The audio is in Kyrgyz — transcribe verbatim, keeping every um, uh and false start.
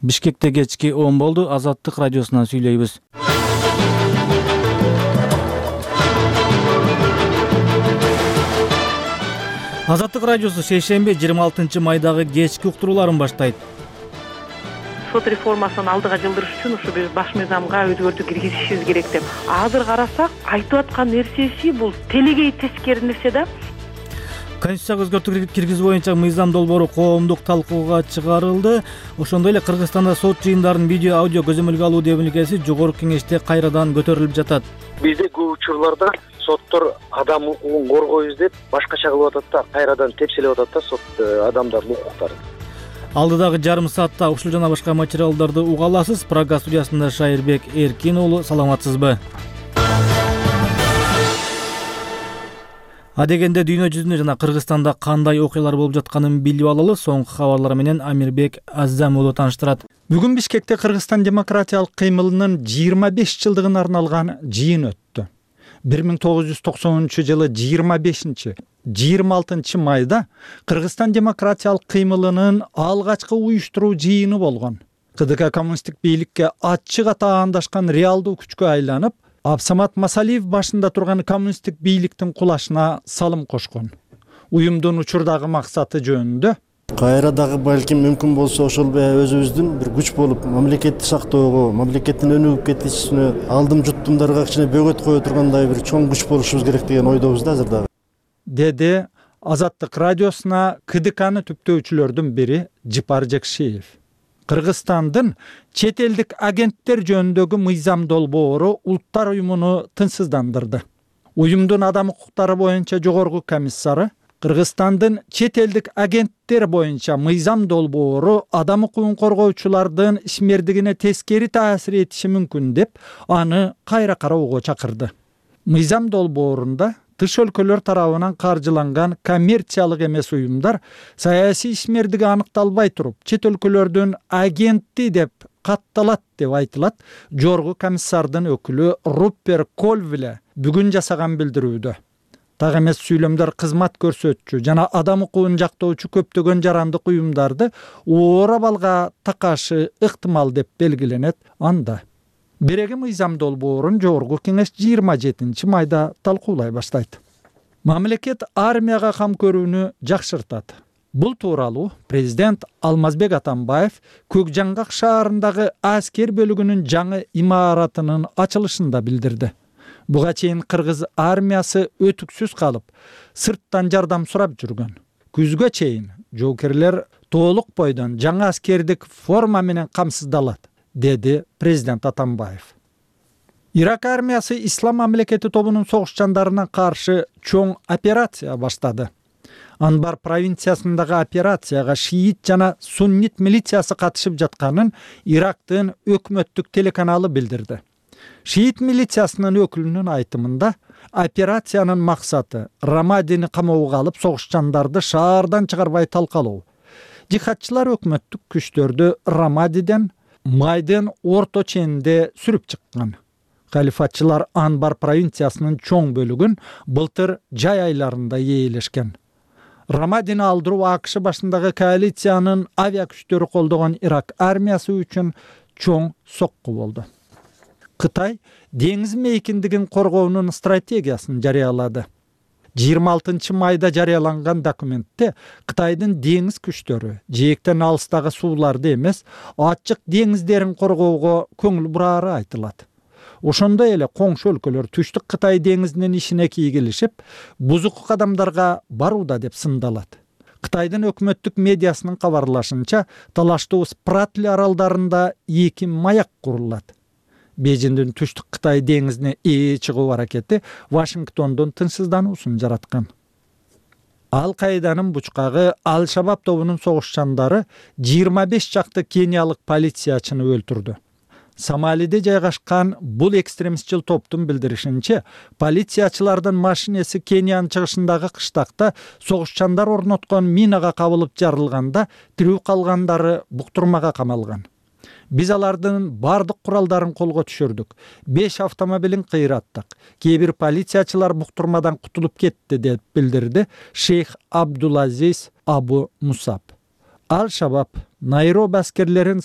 Бишкекте кечки он болду. Азаттык радиосунан сүйлөйбүз. Азаттык радиосу шейшемби жыйырма алтынчы майдагы кечки уктурууларын баштайт. Сот реформасын алдыга жылдырыш үчүн ушу биз баш мыйзамга өзгөртүү киргизишибиз керек деп. Азыр карасак, айтып аткан нерсеси бул телегей тескери нерсе да. Конституцияга өзгөртүү киргизүү боюнча мыйзам долбоору коомдук талкууга чыгарылды. Ошондой эле Кыргызстанда сот жыйындарын видео, аудио көзөмөлгө алуу демилгеси жогорку кеңеште кайрадан көтөрүлүп жатат. Бизде көп учурларда соттор адам укугун коргойбуз деп башкача кылып атат да, кайрадан тепселеп атат да сот адамдардын укуктарын. Алдыдагы жарым саатта ушул жана башка материалдарды уга аласыз. Прага студиясында Шайырбек Эркин уулу, саламатсызбы? Адегенде дүйнө жүзүндө жана Кыргызстанда кандай окуялар болуп жатканын билип алалы. Соңку кабарлар менен Амирбек Аззам уулу тааныштырат. Бүгүн Бишкекте Кыргызстан демократиялык кыймылынын жыйырма беш жылдыгына арналган жыйын өттү. бир миң тогуз жүз токсонунчу жылы жыйырма бешинчи жыйырма алтынчы майда Кыргызстан демократиялык кыймылынын алгачкы уюштуруу жыйыны болгон. КДК коммунисттик бийликке ачык атаандашкан реалдуу күчкө айланып, Абсамат Масалиев башында турган коммунисттик бийликтин кулашына салым кошкон. Уюмдун учурдагы максаты жөнүндө кайра дагы балким мүмкүн болсо ошол өзүбүздүн бир күч болуп мамлекетти сактоого, мамлекеттин өнүгүп кетишине, алдым жуттумдарга кичине бөгөт кое тургандай бир чоң күч болушубуз керек деген ойдобуз да азыр дагы. Деди Азаттык радиосуна КДКны түптөөчүлөрдүн бири Жипар Жекшиев. Кыргызстандын чет элдик агенттер жөнүндөгү мыйзам долбоору Улуттар уюмуну тынчсыздандырды. Уюмдун адам укуктары боюнча жогорку комиссары Кыргызстандын чет элдик агенттер боюнча мыйзам долбоору адам укугун коргоочулардын ишмердигине тескери таасир этиши мүмкүн деп, аны кайра кароого чакырды. Мыйзам долбоорунда тыш өлкөлөр тарабынан каржыланган коммерциялык эмес уюмдар саясий ишмердиги аныкталбай туруп, чет өлкөлөрдүн агенти деп катталат деп айтылат. Жогорку комиссардын өкүлү Руппер Кольвле бүгүн жасаган билдирүүдө. Так эмес сүйлөмдөр кызмат көрсөтчү жана адам укугун жактоочу көптөгөн жарандык уюмдарды оор абалга такашы ыктымал деп белгиленет анда. Береги мыйзам долбоорун жогорку кеңеш жыйырма жетинчи майда талкуулай баштайт. Мамлекет армияга кам көрүүнү жакшыртат. Бул тууралуу президент Алмазбек Атамбаев Көк Жаңгак шаарындагы аскер бөлүгүнүн жаңы имаратынын ачылышында билдирди. Буга чейин кыргыз армиясы өтүксүз калып, сырттан жардам сурап жүргөн. Күзгө чейин жоокерлер толук бойдон жаңы аскердик форма менен камсыздалат, деди президент Атамбаев. Ирак армиясы Ислам мамлекети тобунун согушчандарына каршы чоң операция баштады. Анбар провинциясындагы операцияга шиит жана суннит милициясы катышып жатканын Ирактын өкмөттүк телеканалы билдирди. Шиит милициясынын өкүлүнүн айтымында, операциянын максаты Рамадини камоого алып, согушчандарды шаардан чыгарбай талкалоо. Жихадчылар өкмөттүк күчтөрдү Рамадиден майдын орто ченинде сүрүп чыккан. Халифатчылар Анбар провинциясынын чоң бөлүгүн былтыр жай айларында ээлешкен. Рамадини алдыруу АКШ башындагы коалициянын авиа күчтөрү колдогон Ирак армиясы үчүн чоң сокку болду. Кытай деңиз мейкиндигин коргоонун стратегиясын жарыялады. жыйырма алтынчы майда жарыяланган документте Кытайдын деңиз күчтөрү жээктен алыстагы сууларды эмес, ачык деңиздерин коргоого көңүл бурары айтылат. Ошондой эле коңшу өлкөлөр түштүк Кытай деңизинин ишине кийгилишип, бузук кадамдарга барууда деп сындалат. Кытайдын өкмөттүк медиасынын кабарлашынча, талаштуу Спратли аралдарында эки маяк курулат. Бейжиңдин түштүк Кытай деңизине ээ чыгуу аракети Вашингтондун тынчсыздануусун жараткан. Ал-Каиданын бучкагы Ал-Шабаб тобунун согушчандары жыйырма беш чакты кениялык полициячыны өлтүрдү. Сомалиде жайгашкан бул экстремистчил топтун билдиришинче, полициячылардын машинеси Кениянын чыгышындагы кыштакта согушчандар орноткон минага кабылып жарылганда, тирүү калгандары буктурмага камалган. Биз алардын бардык куралдарын колго түшүрдүк. беш автомобилин кыйраттык. Кээ бир полициячылар буктурмадан кутулуп кетти деп билдирди Шейх Абдулазиз Абу Мусаб. Ал-Шабаб Найроби аскерлерин